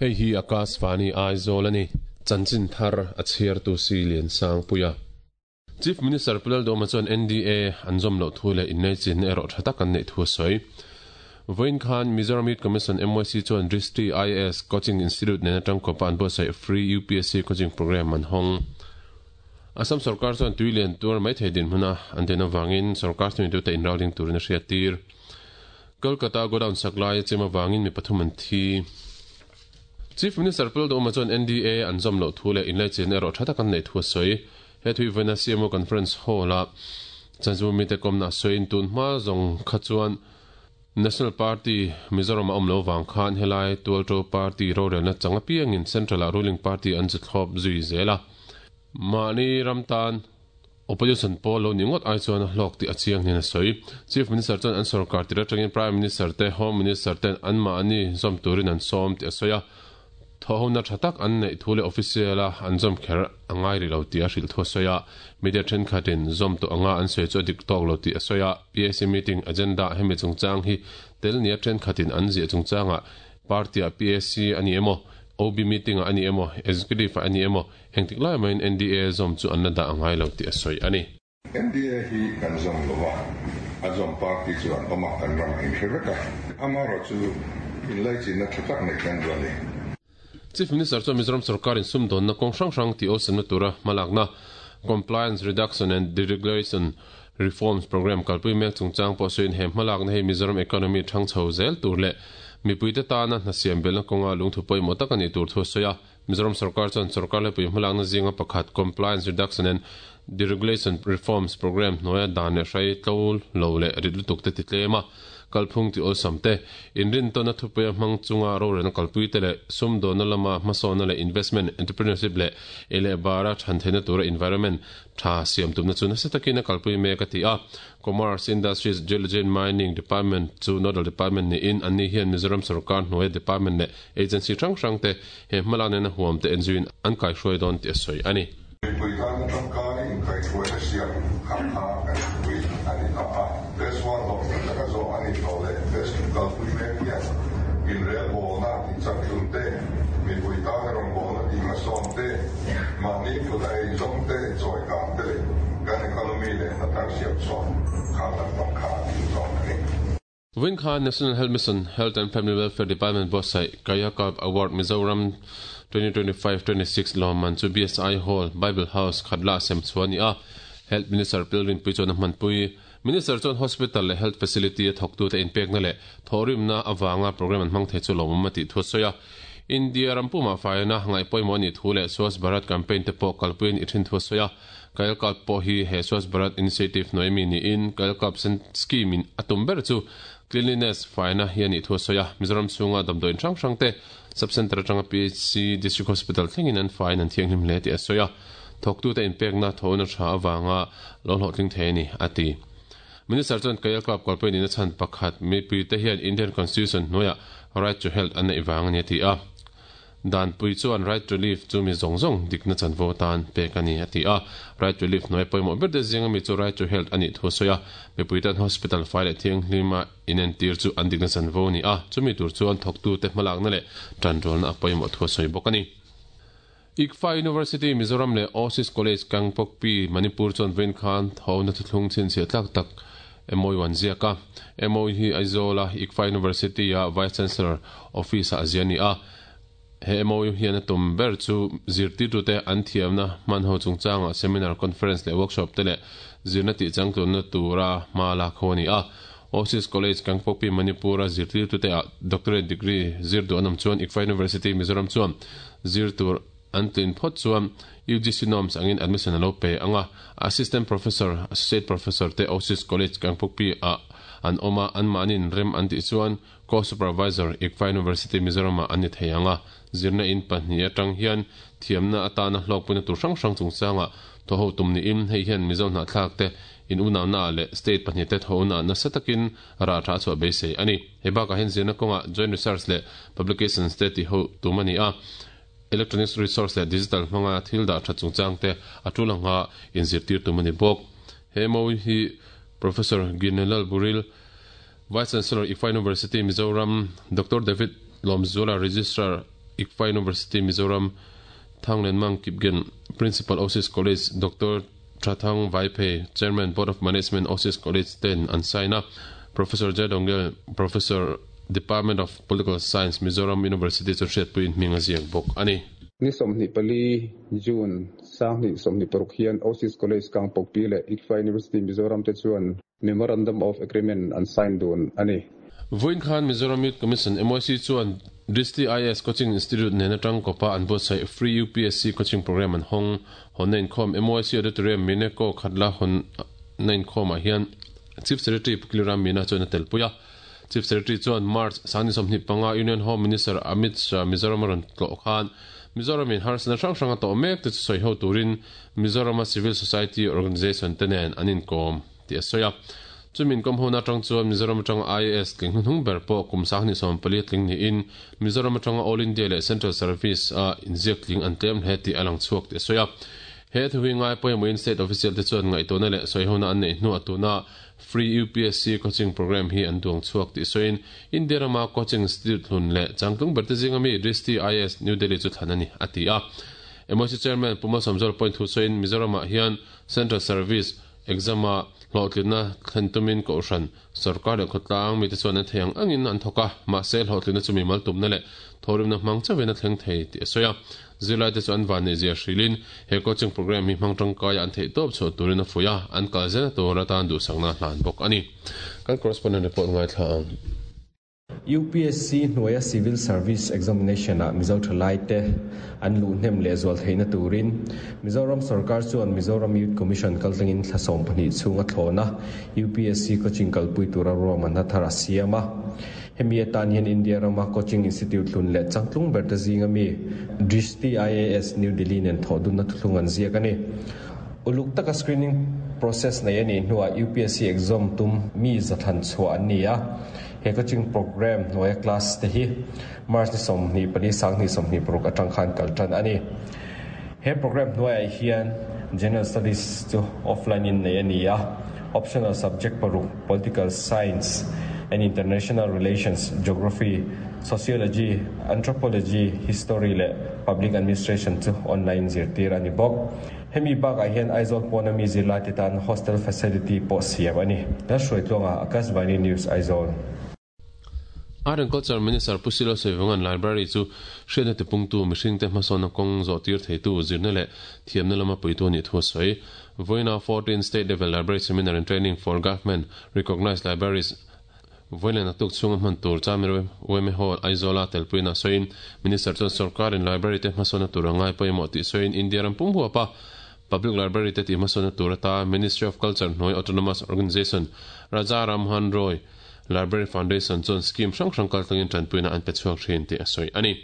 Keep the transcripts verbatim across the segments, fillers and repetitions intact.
Hei hi Akashvani Aizawl a ni. Chanchin thar a chhiartu si Lian Sangpuia. Chief Minister Pu Lalduhoma chuan N D A an zawm loh thu leh inlaichinna erawh tha tak an neih thu a sawi. Vawiin khan Mizoram Youth Commission, M Y C, chuan Drishti I A S Coaching Institute nen atang kawpa an buatsaih Free U P S C Coaching Program an hawng. Assam sarkar chuan tui lian tuar mai thei dinhmuna an den avangin sarkar thuneitute inralring turin a hriat tir. Kolkata godown sak lai a chim avangin mi pathum an thi. Chief Minister Pu Lalduhoma chuan N D A an zawm loh thu leh inlaichinna erawh tha tak an neih thu a sawi. He thui vawiina C M O Conference Hall a chanchinbu mite kawmna a sawiin tun hma zawng kha chuan National Party Mizoram a awm lo vang khan helai tualto party rorelna chang apiangin Central a ruling party an chu thlawp zui zel a. Mahni ram tan opposition pawl lo ni ngawt ai chuan a hlawk tih a chiang niin a sawi. Chief Minister chuan an sarkar tir atangin Prime Minister te, Home Minister ten an mahni zawm turin an sawm tih a sawi a. Thawhona tha tak an neih thu leh official a an zawm kher a ngai ri lo tih a hrilh thu a sawi a. Media thenkhatin zawm tawh anga an sawi chu a dik tawk lo tih a sawi a. P A C meeting agenda hemi chungchang hi tel nia thenkhatin an ziah chungchangah party a P A C ani emaw, O B meeting a ani emaw, executive a ani emaw, engtik lai maiin N D A zawm chu an la dah angai lo tih a sawi ani. N D A hi kan zawm lova, a zawm party chuan awma kan ram in hre vek a, amaherawhchu inlaichinna tha tak nei kan duh a ni. Chief Minister chuan Mizoram sarkarin sumdawnna kawng hrang hrang tih awlsamna tura hmalakna Compliance Reduction and Deregulation Reforms Program kalpui mek chungchang pawh sawiin he hmalakna hei Mizoram economy thang chho zel tur leh mipuite tana hna siam belna kawnga lungthu pawimawh tak ani tur thu a sawi a. Mizoram sarkar chuan sarkar lepui hmalakna zinga pakhat Compliance Reduction and Deregulation Reforms Program hnuaia dan leh hrai tlo lo leh rit lutuk te ti tlem a, kalphung ti awlsam te, inrin tawna thupuia hmang chunga rorelna kalpui te leh sumdawnna lama hmasawnna leh investment, entrepreneurship leh ei leh bara than theihna tura environment tha siam tumna chu nasa takin a kalpui mek a ti a. Commerce, Industries, Geology and Mining Department chu nodal department niin anni hian Mizoram sarkar hnuaia department leh agency hrang hrang te he hmalakna na huam te enzuin an kaihruai dawn tih a sawi ani. Mipui tan tangkai inkaihhruaina siam kha kha kan pui ani ta a. Phase one hlawhtling taka zawh ani tawh leh phase two kalpui mek hian inrelbawlna ti chaktlun te, mipui tan rawngbawlna ti hmasawn te, mahni kut a eizawng te chawi kang te leh kan economy leh hna thar siam chhuah khang lampang kha a zawng ani. Vawiin khan National Health Mission, Health and Family Welfare Department buatsaih Kayakalp Award Mizoram twenty twenty-five twenty-six lawmman chu B S I Hall, Bible House, Khatla sem chuan ni a. Health Minister Pi Lalrinpuii chuan a hmanpui. Minister chuan hospital leh health facility a thawktu te inpekna leh thawrimna awanga program an hmang thei chu lawmawm a tih thu a sawi a. India rampuma faina ngai pawimawh ni thu leh Swachh Bharat campaign te pawh kalpuiin i thin thu a sawi a. Kayakalp pawh hi he Swachh Bharat initiative hnuai mi niin Kayakalp scheme in atum ber chu cleanliness, faina hi ani thu a sawi a. Mizoram chhunga damdawiin hrang hrang te sub-center atanga P H C, District Hospital thlengin an fain an thianghlim hle tih a sawi a. Thawktu te inpekna thawhna tha awanga lo hlawhtling thei ani a ti. Minister chuan Kayakalp kalpui ni na chhan pakhat mipui te hian Indian Constitution hnuaia right to health an nei wang ani a ti a. Dan pui chuan right to live chu mi zawng zawng dikna chanvo tan pek ani a ti a. Right to live hnuai pawimawh ber te zinga mi chu right to health ani thu a sawi a. Mipui tan hospital fai leh thianghlima inentir chu an dikna chanvo ni a, chumi tur chuan thawktu te hmalakna leh tanrualna a pawimawh thu a sawi bawk ani. ICFAI University Mizoram leh Oasis College Kangpokpi Manipur chuan vawiin khan thawhna thuthlung chhinchhiah tlak tak M O U an ziak a. M O U hi Aizawl a ICFAI University a Vice Chancellor Office a zia ni a. He M O U hian a tum ber chu zirtirtute an thiamna hman ho chungchanga seminar, conference leh workshop te leh zirna tih changtlunna tura hma lak ho ani a. Oasis College Kangpokpi Manipur a zirtirtute a doctorate degree zir duh anam chuan ICFAI University Mizoram chuan zir tur an tlin phawt chuan U G C norms angin admission alo pe anga. Assistant professor, associate professor te Oasis College Kangpokpi a an awma an mahnin rem an tih chuan co-supervisor ICFAI University Mizoram a an ni thei anga. Zirna in pahnih atang hian thiamna atana hlawkpuina tur hrang hrang chungchanga thaw ho tum ni in hei hian Mizo hnahthlak te in unau leh state pahnih te thawhna nasa takin ra tha chhuah beisei ani. He bakah hian zirna kawnga joint research leh publications te ti ho tum ani a. Electronic resource leh digital hmanga thil dah tha chungchang te a tulanga inzirtir tum ani bawk. He M O U hi Professor Ginelal Buril, Vice Chancellor, ICFAI University Mizoram, Doctor David Lomzula, Registrar ICFAI University Mizoram Thanglenmang Kipgen Principal Osis College Doctor Thathang Vaiphei Chairman Board of Management Osis College ten an sign a Professor J Dongel Professor Department of Political Science Mizoram University chu hriatpuiin hming a ziak bawk ani. Ni sawmhnih pali June sanghnih sawmhnih paruk hian Osis College Kangpokpi leh ICFAI University Mizoram te chuan Memorandum of Agreement an sign dun ani. Vawiin khan Mizoram Youth Commission M Y C chuan Drishti I A S Coaching Institute nena tang kopa an buatsaih Free U P S C Coaching Program an hawng hawn na inkhawm M Y C Auditorium Mineko Khatla hawn na inkhawmah hian Chief Secretary Pukiliram Meena chuan a telpui a. Chief Secretary chuan March sangni sawmhnih panga Union Home Minister Amit Shah Mizoram a rawn tlawh khan Mizoram in harsana hrang hrang a tawh mek te chu sawi ho turin Mizorama Civil Society Organisation te nen an inkawm tih a sawi a. Chumin kawm hona atang chuan Mizoram atanga I A S tling hnuhnung ber pawh kum sanghnih sawm pali tling niin Mizoram atanga All India leh Central Service a inziak tling an tlem hle tih a lang chhuak tih a sawi a. He thuhi ngai pawimawhin state official te chuan ngaihtuahna leh sawi hona an neih hnuah tuna Free U P S C Coaching Program hi an duang chhuak tih sawiin India rama Coaching Institute hlun leh changtlung ber te zinga mi Drishti I A S New Delhi chu thlan a ni a ti a. M Y C Chairman Puma Sawmzawl point thu sawiin Mizoramah hian Central Service exam a hlawhtlinna thlen tumin kohhran sarkar leh khawtlang mite chuan an thei ang angin an thawk a, mahse hlawhtlinna chu mi mal tumna leh thawrimna hmang chauhin a thleng thei tih a sawi a. Zirlai te chu an van nei zia hrilin he coaching program hi hmang tangkaia an theih tawp chhuah turin a fuih a, an kal zela tur atan duhsakna hlan bawk ani. Kan correspondent report ngaithla ang. U P S C hnuaia Civil Service Examination a Mizo Thalai te an luh hnem leh zual theihna turin Mizoram Sarkar chuan Mizoram Youth Commission kaltlangin thlasawm pahnih chhunga thlawna U P S C coaching kalpui tura ruahman a thar a siam a. Hemi atan hian India rama Coaching Institute hlun leh changtlung ber te zinga mi Drishti I A S New Delhi nen thawh dunna thuthlung an ziak ani. Uluk taka screening process nei ani hnuah U P S C exam tum mi zathan chhuah an ni a. He coaching program hnuaia class te hi March ni sawmhnih pali sanghnih sawmhnih paruk atang khan kal tan ani. He program hnuaiah hian General Studies chu offline in nei ani a. Optional subject paruk Political Science and International Relations, Geography, Sociology, Anthropology, History le Public Administration chu online zirtir ani bawk. Hemi bakah hian Aizawl pawna mi zirlai te tan hostel facility pawh siam ani. Lalhruaitluanga Akashvani News Aizawl. Art and Culture Minister Pusilo Sawivangan Library chu hriatna tipungtu mihring te hmasawna kawng zawh tir theitu zirna leh thiamna lama puitu ani thu a sawi. Vawiina fourteen State Level Library Seminar and Training for Government Recognized Libraries Vawiina naktuk chhunga hman tur Chamir Weme Hall Aizawla telpuina sawiin Minister chuan sarkarin library te hmasawna tur a ngai pawimawh tih sawiin India ram pum huapa Public Library te tih hmasawna tur ata Ministry of Culture hnuai Autonomous Organisation Raja Rammohan Roy Library Foundation chuan scheme hrang hrang kaltlangin tanpuina an pe chhuak thin tih a sawi ani.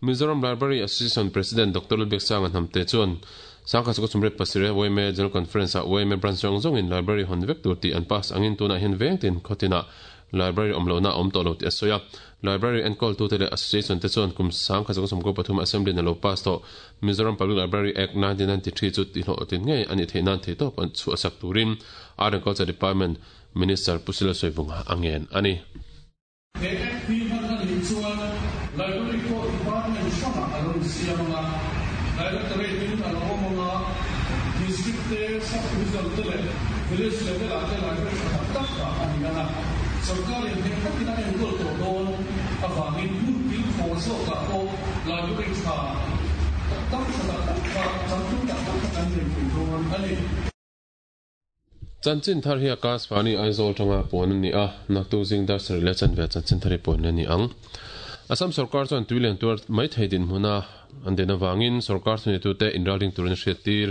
Mizoram Library Association President Doctor Lubek Sanga Hnamte chuan Sangkha chu chumret pasire Weme General Conference a Weme branch zawng zawngin library hawn vek tur tih an pass angin tunah hian veng tin khawtina library awm lohna awm tawh lo tih a sawi a. Library enkawl tu te leh association te chuan kum sangkha chu chumko pathum assembly na lo pass tawh Mizoram Public Library Act nineteen ninety-three chu tih hlawh tin ngei ani theih nan thei tawp an chu a sak turin Art and Culture Department Minister Pusilo Sawivangan angen ani. He Act hi hman ani chuan Library pawh Department hrangah a lo insiam anga Directorate in a lo awm anga District te sub-division te leh village level ah te library tha tak tak dah ani anga sarkarin heng takin a enkawl tawh dawn awangin hmun kil khaw zawkah pawh library tha tak tak tha tak tak kha changtlung tak tak kha kan nei thei dawn ani. Chanchin thar hi Akashvani Aizawl tanga puan ani a naktuk zing dar sarih leh chanve chanchin thar hi puan ani ang. Assam sarkar chuan tuilian tuar mai thei din hmuna an den awangin sarkar thuni tu te inralring turin a hriat tir.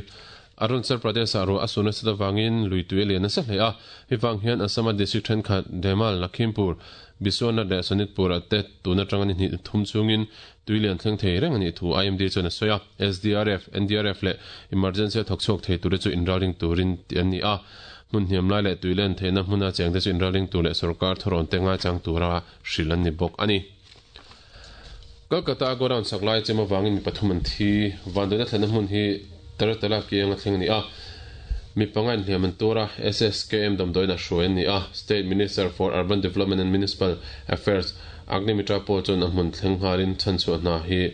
Arunachal Pradesh a ro a suna sat awangin lui tui lian a sa hle a hi wang hian Assam a district thenkhat Demal Lakhimpur Biswanath leh Sonitpur a te tuna tanga ni hnih thum chungin tuilian thleng thei reng ani thu I M D chuan a sawi a. S D R F N D R F leh emergency a thawk chhuak thei tur chu inralring turin ti an ni a. Hmun hniam lai leh tuilian theihna hmuna cheng te chu inralring tur leh sarkar thawrawn te ngai chang tura hril an ni bawk ani. Kolkata godown saklai chem awangin mi pathum an thi vanduaina thlenna hmun hi Taratala kiang a thleng ani a. Mi pangain hliam an tura S S K M damdawiin a hruai ani a. State Minister for Urban Development and Municipal Affairs Agnimitra pawh chuan a hmun thleng nghalin chhan chhuah hna hi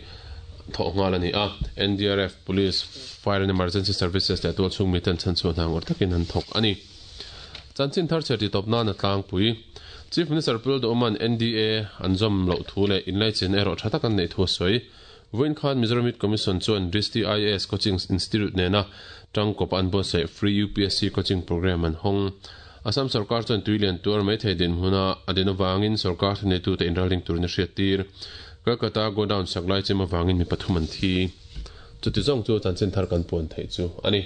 thawh nghal ani a. N D R F, Police, Fire and Emergency Services leh tual chhung miten chan chhuah hna ngawrh takin an thawk ani. Chanchin thar chher ti tawp nan a tlangpui. Chief Minister Pu Lalduhoma'n N D A an zawm loh thu leh inlaichin erawh tha tak an neih thu a sawi. Vawiin khan Mizoram Youth Commission chuan Drishti I A S Coaching Institute nena tangkawp an buatsaih Free U P S C Coaching Program an hawng. Assam sarkar chuan tuilian tuar mai thei din hmuna a din avangin sarkar thuneitute inralring turin a hriattir. Kolkata godown sak lai chem avangin mi pathum an thi. Chuti zawng chu chanchin thar kan puan theih chu ani.